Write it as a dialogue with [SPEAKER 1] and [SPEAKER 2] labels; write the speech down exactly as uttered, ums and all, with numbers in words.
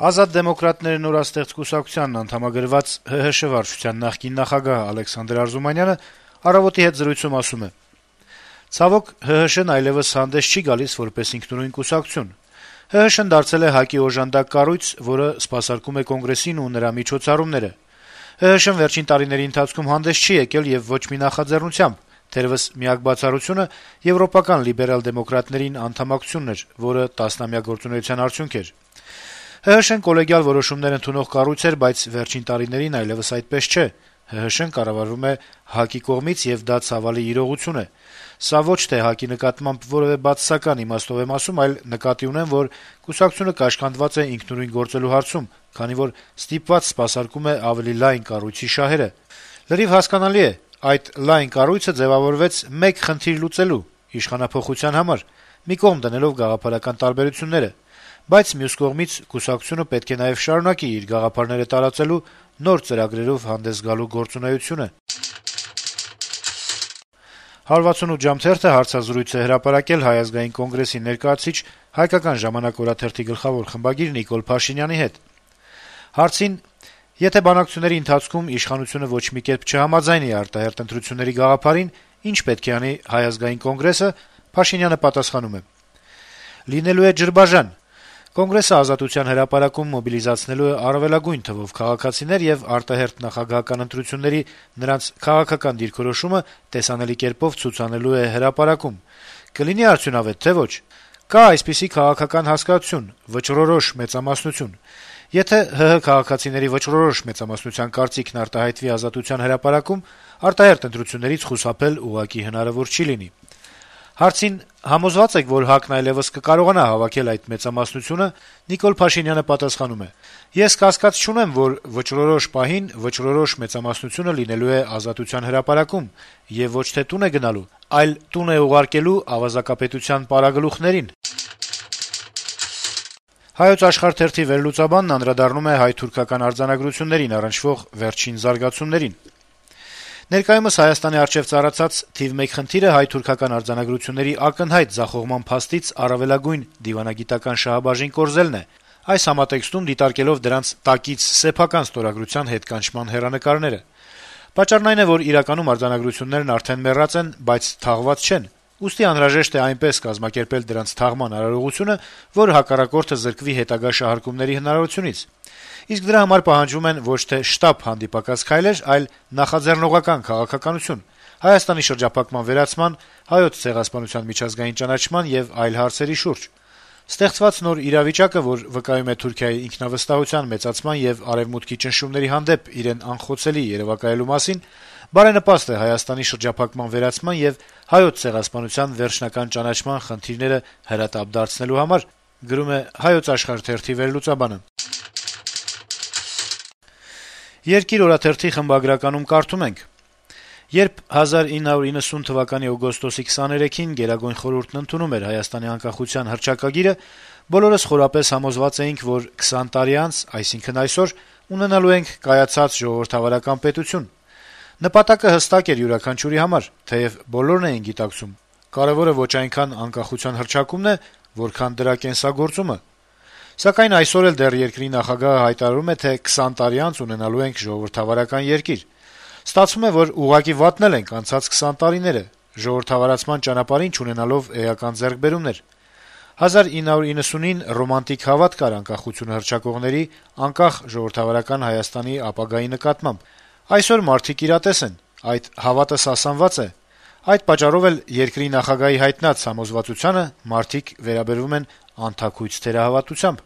[SPEAKER 1] Ազատ դեմոկրատները նորաստեղծ կուսակցությանն անդամագրված ՀՀՇ վարչության նախկին նախագահ Ալեքսանդր Արզումանյանը «Առավոտ»-ի հետ զրույցում ասում է. - «Ցավոք, ՀՀՇ-ն այլեւս հանդես չի գալիս որպես ինքնուրույն կուսակցություն: ՀՀՇ-ն դարձել է ՀԱԿ-ի օժանդակ կառույց, որը սպասարկում է Կոնգրեսին ու նրա միջոցառումները: ՀՀՇ-ն վերջին տարիների ընթացքում հանդես չի եկել եւ ոչ մի նախաձեռնությամբ: Թերեւս միակ բացառությունը եվրոպական լիբերալ-դեմոկրատներին անդամակցությունն էր, որը տասնամյա գործունեության արդյունք էր: ՀՀՇ-ն կոլեգիալ որոշումներ ընդունող կառույց էր, բայց վերջին տարիներին այլեւս այդպես չէ: ՀՀՇ-ն կառավարվում է ՀԱԿ-ի կողմից, եւ դա ցավալի իրողություն է: Սա ոչ թե ՀԱԿ-ի նկատմամբ որեւէ բացասական իմաստով եմ ասում, այլ նկատի ունեմ, որ կուսակցությունը կաշկանդված է ինքնուրույն գործելու հարցում, քանի որ ստիպված սպասարկում է ավելի լայն կառույցի շահերը: Լրիվ հասկանալի է, այդ լայն կառույցը ձեւավորվեց մեկ խնդիր լուծելու` իշխանափոխության համար, մի կողմ դնելով գաղափարական տարբերությունները: Բայց մյուս կողմից կուսակցությունը պետք է նաեւ շարունակի իր գաղափարները տարածելու, նոր ծրագրերով հանդես գալու գործունեությունը»: «հարյուր վաթսունութ ժամ» թերթը հարցազրույց է հրապարակել Հայ ազգային կոնգրեսի ներկայացուցիչ, «Հայկական ժամանակ» օրաթերթի գլխավոր խմբագիր Նիկոլ Փաշինյանի հետ: Հարցին, թե եթե բանակցությունների ընթացքում իշխանությունը ոչ մի կերպ չհամաձայնի արտահերթ ընտրությունների գաղափարին, ինչ պետք է անի Հայ ազգային կոնգրեսը, Փաշինյանը պատասխանում է. - «Լինելու է ջրբաժան: Կոնգրեսը Ազատության հրապարակում մոբիլիզացնելու է առավելագույն թվով քաղաքացիներ եւ արտահերթ նախագահական ընտրությունների նրանց քաղաքական դիրքորոշումը տեսանելի կերպով ցուցանելու է հրապարակում: Կլինի արդյունավետ, թե ոչ: Կա այսպիսի քաղաքական հասկացություն` վճռորոշ մեծամասնություն: Եթե ՀՀ քաղաքացիների վճռորոշ մեծամասնության կարծիքն արտահայտվի Ազատության հրապարակում, արտահերթ ընտրություններից խուսափել ուղղակի հնարավոր չի լինի»: Հարցին, թե համոզվա՞ծ եք, որ ՀԱԿ-ն այլեւս կկարողանա հավաքել այդ մեծամասնությունը, Նիկոլ Փաշինյանը պատասխանում է. - «Ես կասկած չունեմ, որ վճռորոշ պահին վճռորոշ մեծամասնությունը լինելու է Ազատության հրապարակում եւ ոչ թե տուն է գնալու, այլ տուն է ուղարկելու ավազակապետության պարագլուխներին»: «Հայոց Աշխարհ» թերթի վերլուծաբանն անդրադառնում է հայ-թուրքական արձանագրություններին առնչվող վերջին զարգացումներին. - «Ներկայումս Հայաստանի առջեւ ծառացած թիվ մեկ խնդիրը հայ-թուրքական արձանագրությունների ակնհայտ ձախողման փաստից առավելագույն դիվանագիտական շահաբաժին կորզելն է, այս համատեքստում դիտարկելով դրանց «տակից սեփական ստորագրության» հետկանչման հեռանկարները: Պատճառն այն է, որ իրականում արձանագրություններն արդեն մեռած են, բայց թաղված չեն, ուստի անհրաժեշտ է այնպես կազմակերպել դրանց թաղման արարողությունը, որ հակառակորդը զրկվի հետագա շահարկումների հնարավորությունից: Իսկ դրա համար պահանջվում են ոչ թե շտապ հանդիպակաց քայլեր, այլ նախաձեռնողական քաղաքականություն, Հայաստանի շրջափակման վերացման, Հայոց ցեղասպանության միջազգային ճանաչման եւ այլ հարցերի շուրջ: Ստեղծված նոր իրավիճակը, որ վկայում է Թուրքիայի ինքնավստահության մեծացման եւ Արեւմուտքի ճնշումների հանդեպ իրեն անխոցելի երեւակայելու մասին, բարենպաստ է Հայաստանի շրջափակման վերացման եւ Հայոց ցեղասպանության վերջնական ճանաչման խնդիրները հրատապ դարձնելու համար»: «Երկիր» օրաթերթի խմբագրականում կարդում ենք. - «Երբ հազար ինը հարյուր իննսուն թվականի օգոստոսի քսաներեքին Գերագույն խորհուրդն ընդունում էր Հայաստանի անկախության հռչակագիրը, բոլորս խորապես համոզված էինք, որ քսան տարի անց, այսինքն` այսօր, ունենալու ենք կայացած ժողովրդավարական պետություն: Նպատակը հստակ էր յուրաքանչյուրի համար, թեեւ բոլորն էին գիտակցում. կարեւորը ոչ այնքան անկախության հռչակումն է, որքան դրա կենսագործումը: Սակայն այսօր էլ դեռ երկրի նախագահը հայտարարում է, թե քսան տարի անց ունենալու ենք ժողովրդավարական երկիր: Ստացվում է, որ ուղղակի վատնել ենք անցած քսան տարիները, ժողովրդավարացման ճանապարհին չունենալով էական ձեռքբերումներ: հազար ինը հարյուր իննսունին ռոմանտիկ հավատ կար անկախությունը հռչակողների, անկախ ժողովրդավարական Հայաստանի ապագայի նկատմամբ: Այսօր մարդիկ իրատես են, այդ հավատը սասանված է: Այդ պատճառով էլ երկրի նախագահի հայտնած համոզվածությանը մարդիկ վերաբերվում են անթաքույց թերահավատությամբ»: